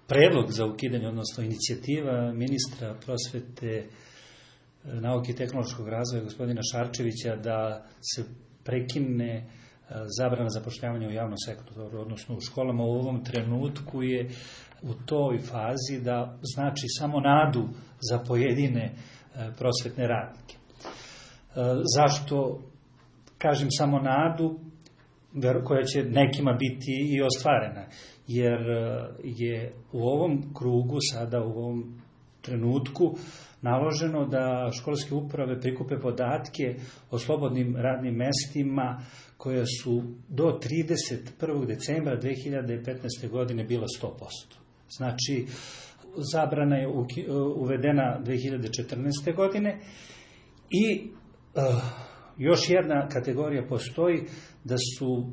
predlog za ukidanje, odnosno inicijativa ministra prosvete, nauke i tehnološkog razvoja gospodina Šarčevića da se prekine zabrana zapošljavanja u javnom sektoru, odnosno u školama, u ovom trenutku je u toj fazi da znači samo nadu za pojedine prosvetne radnike. Zašto kažem samo nadu koja će nekima biti i ostvarena? Jer je u ovom krugu, sada u ovom trenutku, naloženo da školske uprave prikupe podatke o slobodnim radnim mestima koja su do 31. decembra 2015. godine bila 100%. Znači, zabrana je uvedena 2014. godine i još jedna kategorija postoji da su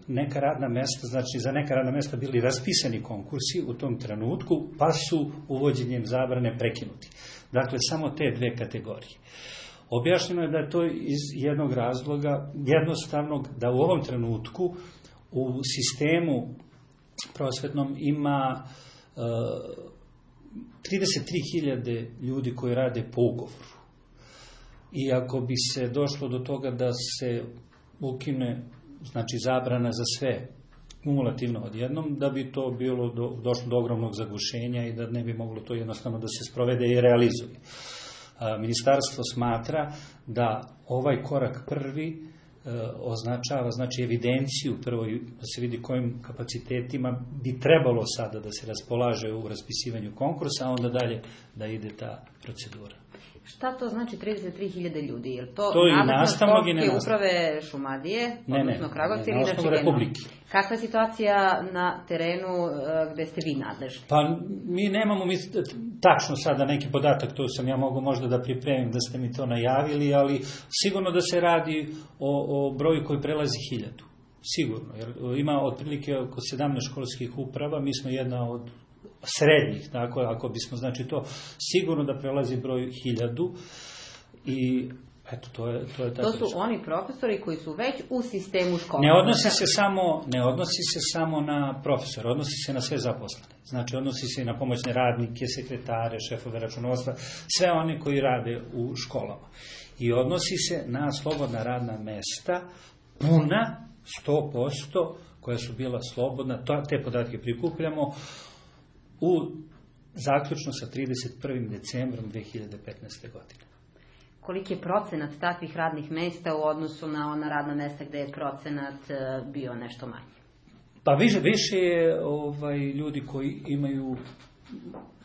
neka radna mesta, znači za neka radna mesta bili raspisani konkursi u tom trenutku, pa su uvođenjem zabrane prekinuti. Dakle, samo te dve kategorije. Objašnjeno je da je to iz jednog razloga jednostavnog, da u ovom trenutku u sistemu prosvetnom ima 33.000 ljudi koji rade po ugovoru. I ako bi se došlo do toga da se ukine, znači zabrana za sve kumulativno odjednom, da bi to došlo do ogromnog zagušenja i da ne bi moglo to jednostavno da se sprovede i realizuje. Ministarstvo smatra da ovaj korak prvi označava, znači evidenciju prvo da se vidi kojim kapacitetima bi trebalo sada da se raspolaže u raspisivanju konkursa, a onda dalje da ide ta procedura. Šta to znači 33.000 ljudi? Je to nastavnog i školske uprave Šumadije, odnosno Kragovca ili inače Republike? Kakva je situacija na terenu gde ste vi nadležni? Pa mi nemamo tačno sada neki podatak, to sam ja mogu možda da pripremim da ste mi to najavili, ali sigurno da se radi o broju koji prelazi 1000. Sigurno, jer ima otprilike oko 17 školskih uprava, mi smo jedna od srednjih, tako, ako bismo, znači to sigurno da prelazi broj 1000 i eto, to je tako. To su oni profesori koji su već u sistemu škola. Ne odnosi se samo na profesore, odnosi se na sve zaposlene. Znači, odnosi se i na pomoćne radnike, sekretare, šefove računovodstva, sve oni koji rade u školama. I odnosi se na slobodna radna mesta, puna 100%, koja su bila slobodna, te podatke prikupljamo zaključno sa 31. decembrom 2015. godine. Koliki je procenat takvih radnih mesta u odnosu na ona radna mesta gde je procenat bio nešto manji? Pa više je ljudi koji imaju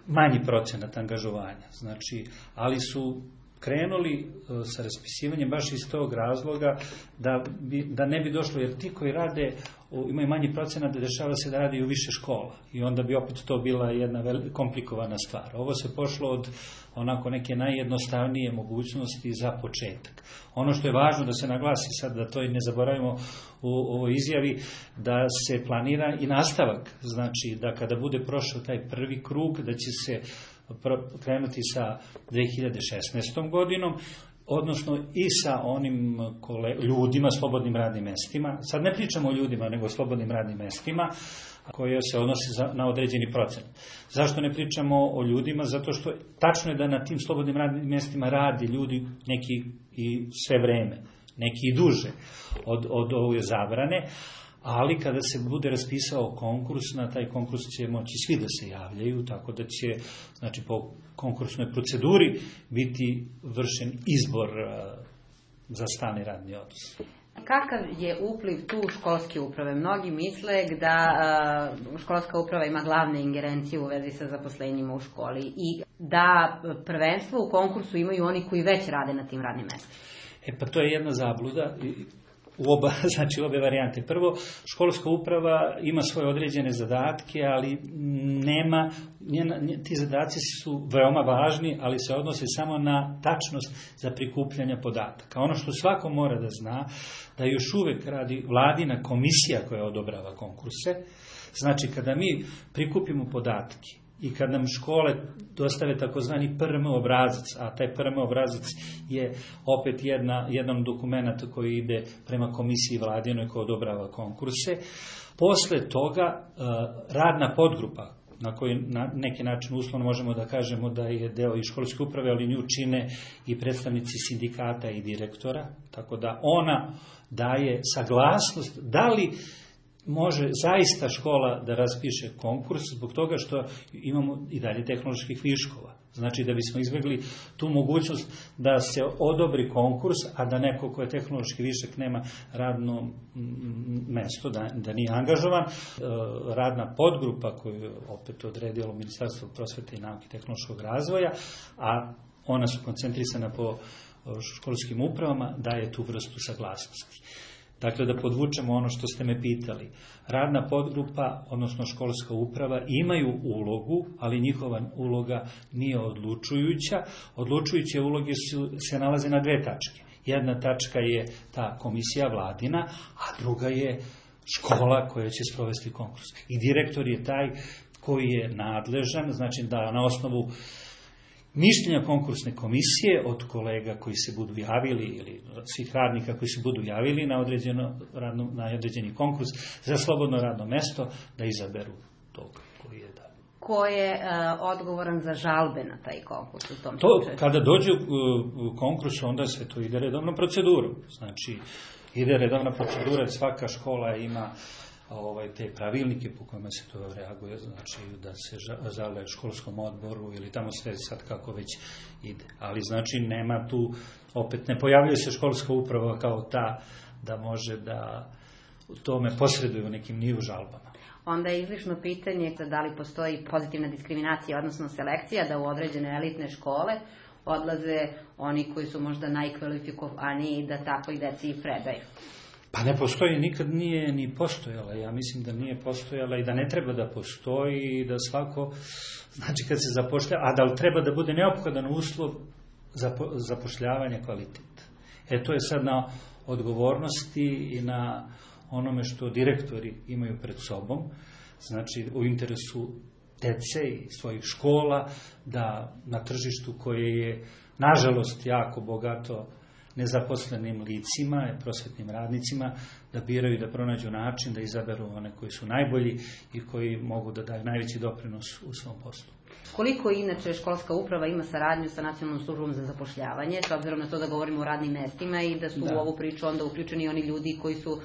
manji procenat angažovanja, znači, ali su krenuli sa raspisivanjem baš iz tog razloga da ne bi došlo, jer ti koji rade imaju manji procenat, da dešava se da radi u više škola i onda bi opet to bila jedna komplikovana stvar. Ovo se pošlo od onako neke najjednostavnije mogućnosti za početak. Ono što je važno da se naglasi sad, da to i ne zaboravimo u ovoj izjavi, da se planira i nastavak, znači da kada bude prošao taj prvi krug, da će se krenuti sa 2016. godinom, odnosno i sa onim ljudima, slobodnim radnim mestima. Sad ne pričamo o ljudima, nego o slobodnim radnim mestima koje se odnose na određeni procenat. Zašto ne pričamo o ljudima? Zato što tačno je da na tim slobodnim radnim mestima radi ljudi neki i sve vreme, neki i duže od ove zabrane, ali kada se bude raspisao konkurs, na taj konkurs će moći svi da se javljaju, tako da će, znači, po konkursnoj proceduri biti vršen izbor za stalni radni odnos. Kakav je upliv tu školske uprave? Mnogi misle da školska uprava ima glavne ingerencije u vezi sa zaposlenjima u školi i da prvenstvo u konkursu imaju oni koji već rade na tim radnim mestima. Pa to je jedna zabluda u obe varijante. Prvo, školska uprava ima svoje određene zadatke, ali ti zadaci su veoma važni, ali se odnose samo na tačnost za prikupljanje podataka. Ono što svako mora da zna, da još uvek radi vladina komisija koja odobrava konkurse. Znači, kada mi prikupimo podatke i kad nam škole dostave takozvani PRM obrazac, a taj PRM obrazac je opet jedan dokument koji ide prema komisiji vladinoj koja odobrava konkurse, posle toga radna podgrupa na koji na neki način uslovno možemo da kažemo da je deo i školske uprave, ali nju čine i predstavnici sindikata i direktora, tako da ona daje saglasnost da li može zaista škola da raspiše konkurs zbog toga što imamo i dalje tehnoloških viškova. Znači da bismo izbjegli tu mogućnost da se odobri konkurs, a da neko ko je tehnološki višak nema radno mesto, da nije angažovan. Radna podgrupa koju je opet odredilo Ministarstvo prosvete i nauke i tehnološkog razvoja, a ona su koncentrisana po školskim upravama, daje tu vrstu saglasnosti. Dakle, da podvučemo ono što ste me pitali. Radna podgrupa, odnosno školska uprava, imaju ulogu, ali njihova uloga nije odlučujuća. Odlučujuće uloge se nalaze na dve tačke. Jedna tačka je ta komisija vladina, a druga je škola koja će sprovesti konkurs. I direktor je taj koji je nadležan, znači da na osnovu mišljenja konkursne komisije od kolega koji se budu javili ili svih radnika koji se budu javili na određeni konkurs za slobodno radno mesto da izaberu tog koji je da. Ko je odgovoran za žalbe na taj konkurs u tom slučaju? Kada dođe u konkurs, onda se to ide redovnom procedurom. Znači, ide redovna procedura, svaka škola ima te pravilnike po kojima se to reaguje, znači da se žale školskom odboru ili tamo sve sad kako već ide. Ali znači nema tu, opet ne pojavljuje se školska uprava kao ta da može da u tome posreduje u nekim nivu žalbama. Onda je izlišno pitanje da li postoji pozitivna diskriminacija, odnosno selekcija, da u određene elitne škole odlaze oni koji su možda najkvalifikovaniji da takvoj deci predaju. Pa ne postoji, nikad nije ni postojala. Ja mislim da nije postojala i da ne treba da postoji i da svako, znači kad se zapošljava, a da treba da bude neophodan uslov za zapošljavanje kvaliteta. To je sad na odgovornosti i na onome što direktori imaju pred sobom, znači u interesu dece i svojih škola, da na tržištu koje je, nažalost, jako bogato nezaposlenim licima, prosvetnim radnicima, da biraju i da pronađu način da izaberu one koji su najbolji i koji mogu da daju najveći doprinos u svom poslu. Koliko inače školska uprava ima saradnju sa Nacionalnom službom za zapošljavanje, s obzirom na to da govorimo o radnim mestima i da su u ovu priču onda uključeni oni ljudi koji su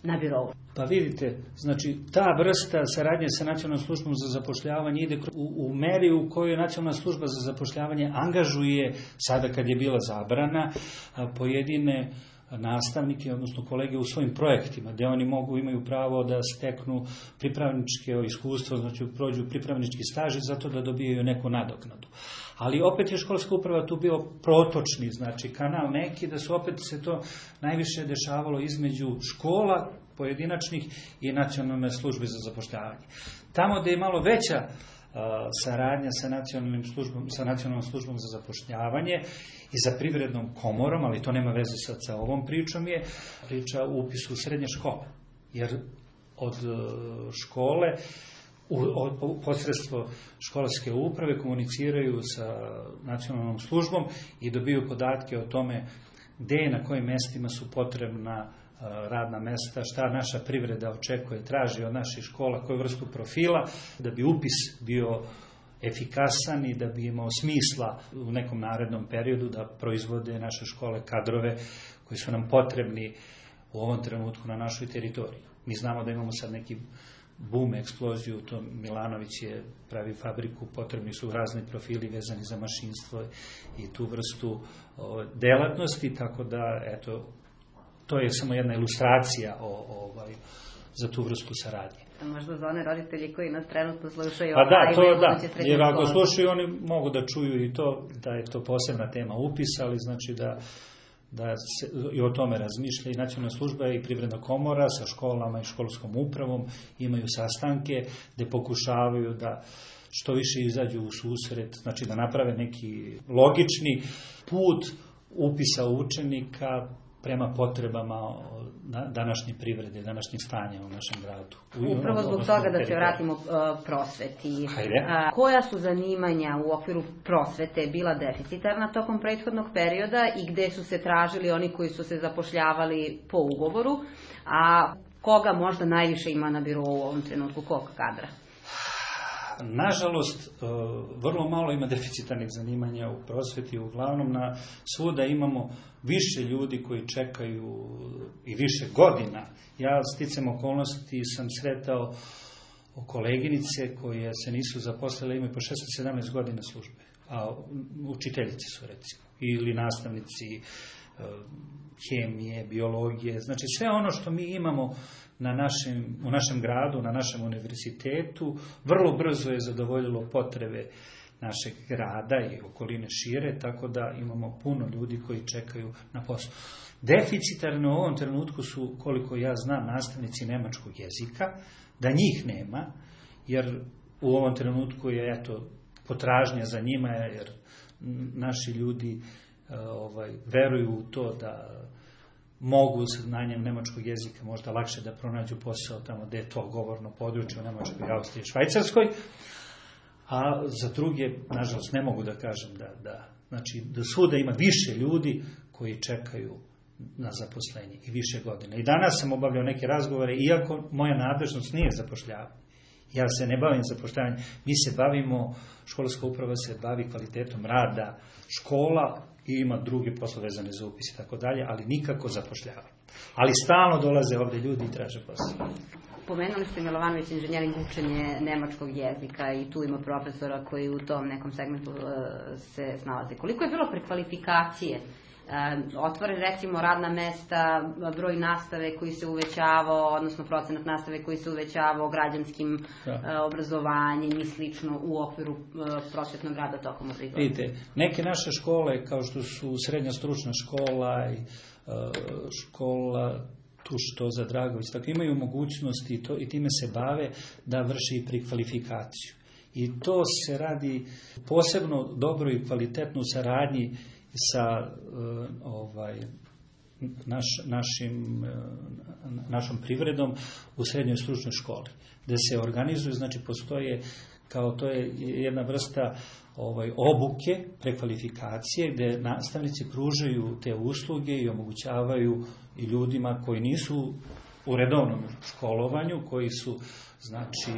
na birovu? Pa vidite, znači ta vrsta saradnje sa Nacionalnom službom za zapošljavanje ide u meri u kojoj Nacionalna služba za zapošljavanje angažuje, sada kad je bila zabrana, pojedine nastavnike, odnosno kolege u svojim projektima, gde oni imaju pravo da steknu pripravničke iskustvo, znači prođu pripravnički staž zato da dobijaju neku nadoknadu. Ali opet je školska uprava tu bio protočni, znači kanal neki, da su opet se to najviše dešavalo između škola pojedinačnih i Nacionalne službe za zapošljavanje. Tamo gde je malo veća saradnja sa Nacionalnom službom za zapošljavanje i za privrednom komorom, ali to nema veze sad sa ovom pričom, je priča o upisu u srednje škole. Jer od škole posredstvo školske uprave komuniciraju sa Nacionalnom službom i dobiju podatke o tome gde i na kojim mestima su potrebna radna mesta, šta naša privreda očekuje, traži od naših škola, koju vrstu profila, da bi upis bio efikasan i da bi imao smisla u nekom narednom periodu da proizvode naše škole kadrove koji su nam potrebni u ovom trenutku na našoj teritoriji. Mi znamo da imamo sad neki boom, eksploziju, to Milanović je pravi fabriku, potrebni su razni profili vezani za mašinstvo i tu vrstu delatnosti, tako da, eto, to je samo jedna ilustracija za tu vrstu saradnje. Možda za one roditelji koji nas trenutno slušaju. Pa da, to da, jer ako slušaju oni mogu da čuju i to, da je to posebna tema upisa, ali znači da se i o tome razmišlja i Nacionalna služba i Privredna komora sa školama i školskom upravom imaju sastanke gde pokušavaju da što više izađu u susret, znači da naprave neki logični put upisa učenika prema potrebama današnje privrede, današnjeg stanja u našem gradu. Upravo zbog toga da se vratimo prosveti. Koja su zanimanja u okviru prosvete bila deficitarna tokom prethodnog perioda i gde su se tražili oni koji su se zapošljavali po ugovoru, a koga možda najviše ima na birou u ovom trenutku, kog kadra? nažalost, vrlo malo ima deficitarnih zanimanja u prosveti, uglavnom svuda imamo više ljudi koji čekaju i više godina. Ja sticam okolnosti sam sretao koleginice koje se nisu zaposlile, imaju po 16-17 godina službe, a učiteljice su recimo, ili nastavnici hemije, biologije, znači sve ono što mi imamo u našem gradu, na našem univerzitetu, vrlo brzo je zadovoljilo potrebe našeg grada i okoline šire, tako da imamo puno ljudi koji čekaju na posao. Deficitarno u ovom trenutku su, koliko ja znam, nastavnici nemačkog jezika, da njih nema, jer u ovom trenutku je potražnja za njima, jer naši ljudi veruju u to da mogu sa znanjem nemačkog jezika možda lakše da pronađu posao tamo gde je to govorno područje u Nemačkoj, Austriji, Švajcarskoj, a za druge, nažalost, ne mogu da kažem znači da svuda ima više ljudi koji čekaju na zaposlenje i više godina. I danas sam obavljao neke razgovore, iako moja nadležnost nije zapošljavanje. Ja se ne bavim zapošljavanjem, mi se bavimo, školska uprava se bavi kvalitetom rada škola i ima druge poslove vezane za upis i tako dalje, ali nikako zapošljavanje. Ali stalno dolaze ovdje ljudi i traže posao. Pomenuli ste, Milovanović, inženjering, učenje nemačkog jezika i tu ima profesora koji u tom nekom segmentu se snalaze. Koliko je bilo prekvalifikacije? Otvoren, recimo, radna mesta, broj nastave koji se uvećavao, odnosno procenat nastave koji se uvećavao građanskim obrazovanjem i slično u okviru prosvetnog rada tokom obrazovanja. Vidite, neke naše škole, kao što su srednja stručna škola i škola Tuštoza Dragović, tako imaju mogućnosti i time se bave da vrši i prekvalifikaciju. I to se radi posebno dobro i kvalitetno u saradnji sa našom privredom u srednjoj stručnoj školi, gde se organizuju, znači postoje, kao to je jedna vrsta obuke, prekvalifikacije, gde nastavnici pružaju te usluge i omogućavaju i ljudima koji nisu u redovnom školovanju, koji su, znači,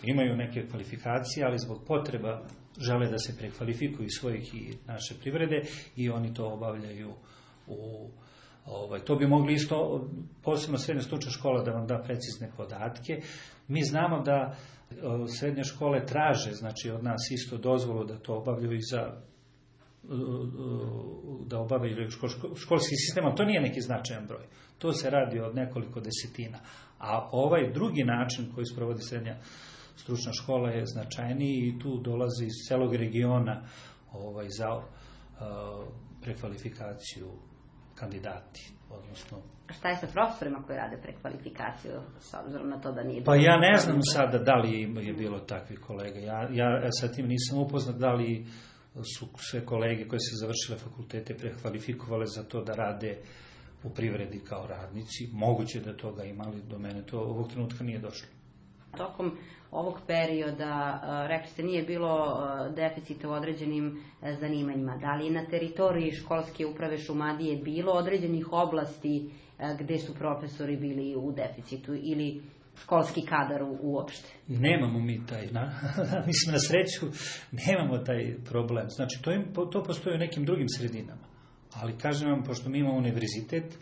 imaju neke kvalifikacije, ali zbog potreba žele da se prekvalifikuju svojih i naše privrede i oni to obavljaju to bi mogli isto, posebno srednja stručna škola da vam da precizne podatke. Mi znamo da srednje škole traže, znači, od nas isto dozvolu da to obavljaju da obavljaju školski sistem, ali to nije neki značajan broj. To se radi od nekoliko desetina. A ovaj drugi način koji sprovodi srednja stručna škola je značajniji i tu dolazi iz celog regiona za prekvalifikaciju kandidati, odnosno... A šta je sa profesorima koji rade prekvalifikaciju, s obzirom na to da nije... Pa ja ne znam sada da li je bilo takvih kolega. Ja sa tim nisam upoznat da li su sve kolege koje su završile fakultete prekvalifikovale za to da rade u privredi kao radnici. Moguće da toga imali, do mene to ovog trenutka nije došlo. Tokom ovog perioda, rekli ste, nije bilo deficita u određenim zanimanjima. Da li je na teritoriji školske uprave Šumadije bilo određenih oblasti gde su profesori bili u deficitu ili školski kadar uopšte? Nemamo mi taj, mislim, na sreću, nemamo taj problem. Znači, to postoji u nekim drugim sredinama. Ali, kažem vam, pošto mi imamo univerzitet,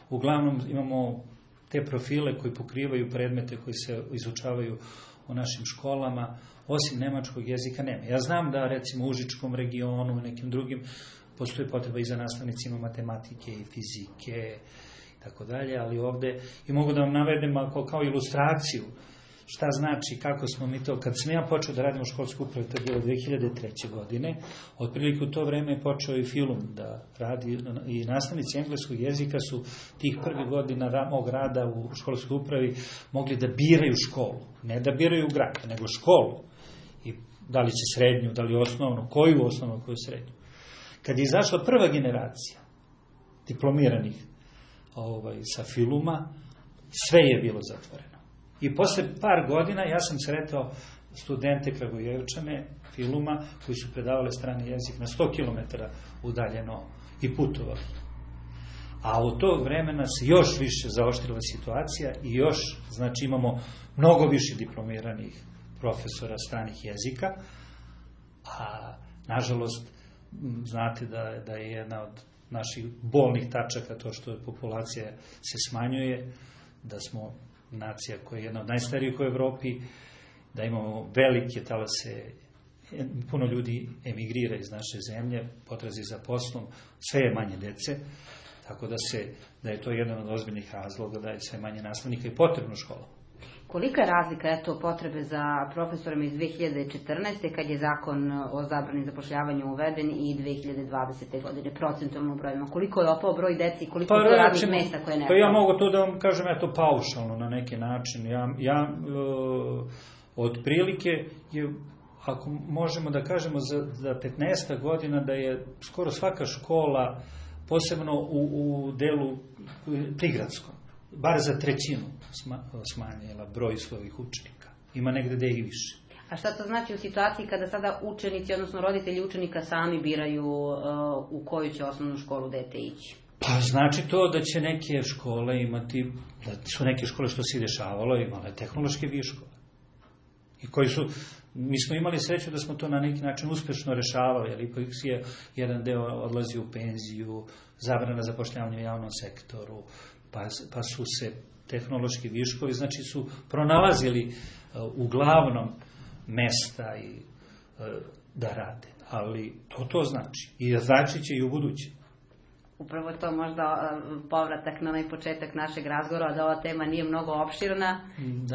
uglavnom imamo te profile koji pokrivaju predmete koji se izučavaju u našim školama, osim nemačkog jezika nema. Ja znam da, recimo, u Užičkom regionu i nekim drugim postoji potreba i za nastavnicima matematike i fizike i tako dalje, ali ovde, i mogu da vam navedem kao ilustraciju šta znači, kako smo mi to, kad sam ja počeo da radim u školskoj upravi, to je bilo 2003. godine, otprilike u to vreme je počeo i film da radi, i nastavnici engleskog jezika su tih prvih godina mog rada u školskoj upravi mogli da biraju školu, ne da biraju grad, nego školu, i da li će srednju, da li osnovnu, koju osnovnu, koju srednju. Kad je izašla prva generacija diplomiranih sa filuma, sve je bilo zatvoreno. I posle par godina ja sam sretao studente Kragujevčane filuma koji su predavali strani jezik na 100 km udaljeno i putovali. A od tog vremena se još više zaoštrila situacija i još, znači, imamo mnogo više diplomiranih profesora stranih jezika, a nažalost znate da je jedna od naših bolnih tačaka to što populacija se smanjuje, da smo nacija koja je jedna od najstarijih u Evropi, da imamo velike talase, puno ljudi emigrira iz naše zemlje, potrazi za poslom, sve je manje dece, tako da je to jedan od ozbiljnih razloga, da je sve manje nastavnika i potrebno škola. Kolika je razlika potrebe za profesorima iz 2014. kad je zakon o zabrani zapošljavanja uveden i 2020. godine, procentualno brojima? Koliko je opao broj deci i koliko je to radnih mesta koje ne? Pa ja mogu to da vam kažem paušalno na neki način. Otprilike je, ako možemo da kažemo za 15 godina da je skoro svaka škola, posebno u delu prigradskom, bar za trećinu smanjila broj svojih učenika. Ima negde da i više. A šta to znači u situaciji kada sada učenici, odnosno roditelji učenika sami biraju u koju će osnovnu školu dete ići? Pa znači to da će neke škole imati, da su neke škole što se dešavalo, imale tehnološke viškove. I koji su, mi smo imali sreću da smo to na neki način uspešno rešavali, jer ipak je jedan deo odlazi u penziju, zabrana zapošljavanja u javnom sektoru, pa su se tehnološki viškovi, znači su pronalazili uglavnom mesta da rade. Ali to znači. I znači će i u budući. Upravo to možda povratak na onaj početak našeg razgovora, da ova tema nije mnogo opširna,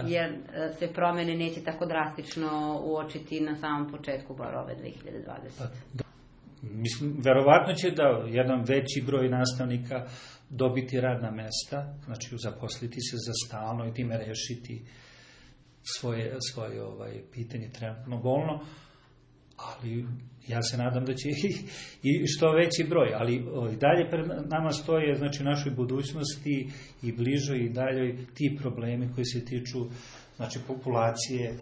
jer se promene neće tako drastično uočiti na samom početku bar ove 2020. Mislim, verovatno će da jedan veći broj nastavnika dobiti radna mesta, znači zaposliti se za stalno i time rešiti svoje pitanje trenutno bolno, ali ja se nadam da će i što veći broj, ali dalje pred nama stoje, znači u našoj budućnosti i bližoj i daljoj ti problemi koji se tiču, znači populacije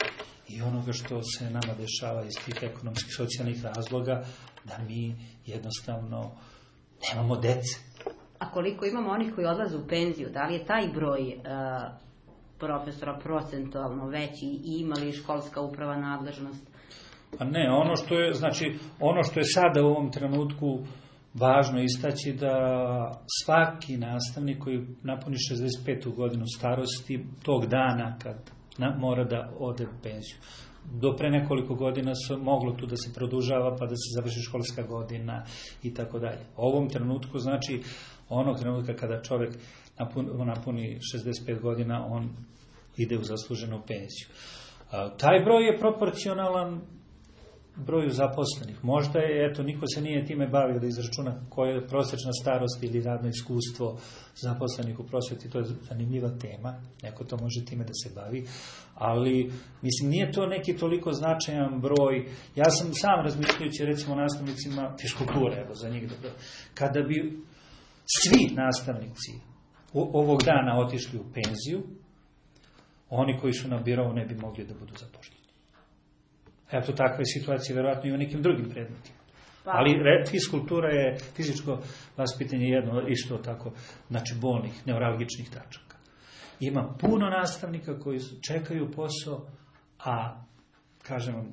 i onoga što se nama dešava iz tih ekonomskih, socijalnih razloga, da mi jednostavno nemamo dece. A koliko imamo onih koji odlaze u penziju, da li je taj broj profesora procentualno veći i ima li školska uprava nadležnost? Pa ne, ono što je sada u ovom trenutku važno istaći da svaki nastavnik koji napuni 65. godinu starosti tog dana kad mora da ode u penziju. Do pre nekoliko godina se moglo tu da se produžava pa da se završi školska godina i tako dalje. U ovom trenutku, znači onog trenutka kada čovjek napuni 65 godina, on ide u zasluženu penziju. Taj broj je proporcionalan broju zaposlenih. Možda je, niko se nije time bavio da izračuna koja je prosječna starost ili radno iskustvo zaposlenih u prosveti, to je zanimljiva tema, neko to može time da se bavi, ali mislim nije to neki toliko značajan broj. Ja sam sam razmišljajući recimo nastavnicima fiskulture, evo za njih dobro, kada bi svi nastavnici ovog dana otišli u penziju, oni koji su na birovu ne bi mogli da budu zapošljeni. Eto, takva je situacija vjerojatno i u nekim drugim predmetima. Ali fiskultura je, fizičko vaspitanje jedno isto tako, znači bolnih, neuralgičnih tačaka. Ima puno nastavnika koji čekaju posao, a, kažem vam,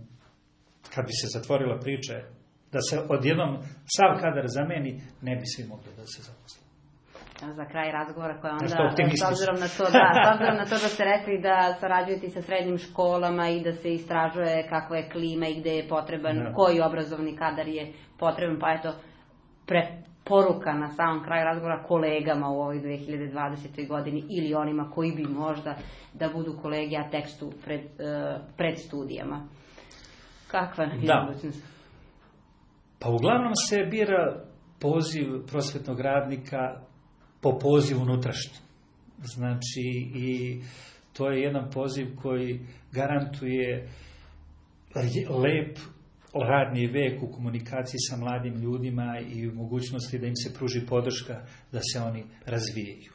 kad bi se zatvorila priča, da se odjednom sav kadar zameni, ne bi svi mogli da se zaposle. Za kraj razgovora koja onda, s obzirom na to da ste rekli da sarađujete sa srednjim školama i da se istražuje kakva je klima i gde je potreban, koji obrazovni kadar je potreban, pa eto, preporuka na samom kraju razgovora kolegama u ovoj 2020. godini ili onima koji bi možda da budu kolegi, a tekstu pred studijama. Kakva je budućnost? Pa uglavnom se bira poziv prosvetnog radnika po pozivu unutrašnjem. Znači, i to je jedan poziv koji garantuje lep radni vek u komunikaciji sa mladim ljudima i u mogućnosti da im se pruži podrška da se oni razvijaju.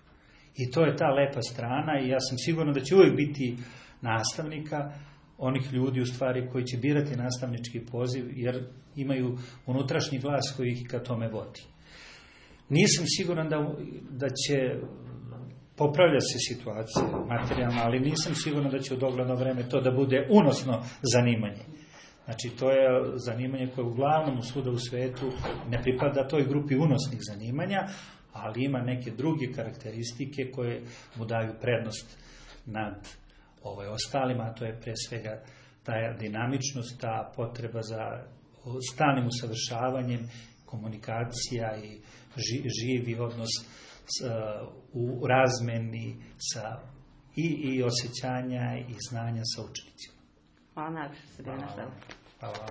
I to je ta lepa strana i ja sam siguran da će uvijek biti nastavnika, onih ljudi u stvari koji će birati nastavnički poziv jer imaju unutrašnji glas koji ih ka tome vodi. Nisam siguran da će popravlja se situacija materijalna, ali nisam siguran da će u dogledno vreme to da bude unosno zanimanje. Znači, to je zanimanje koje uglavnom svuda u svetu ne pripada toj grupi unosnih zanimanja, ali ima neke druge karakteristike koje mu daju prednost nad ostalima, a to je pre svega ta dinamičnost, ta potreba za stalnim usavršavanjem, komunikacija i živi odnos u razmeni i osjećanja i znanja sa učenicima. Hvala najviše se bilo na sve. Hvala.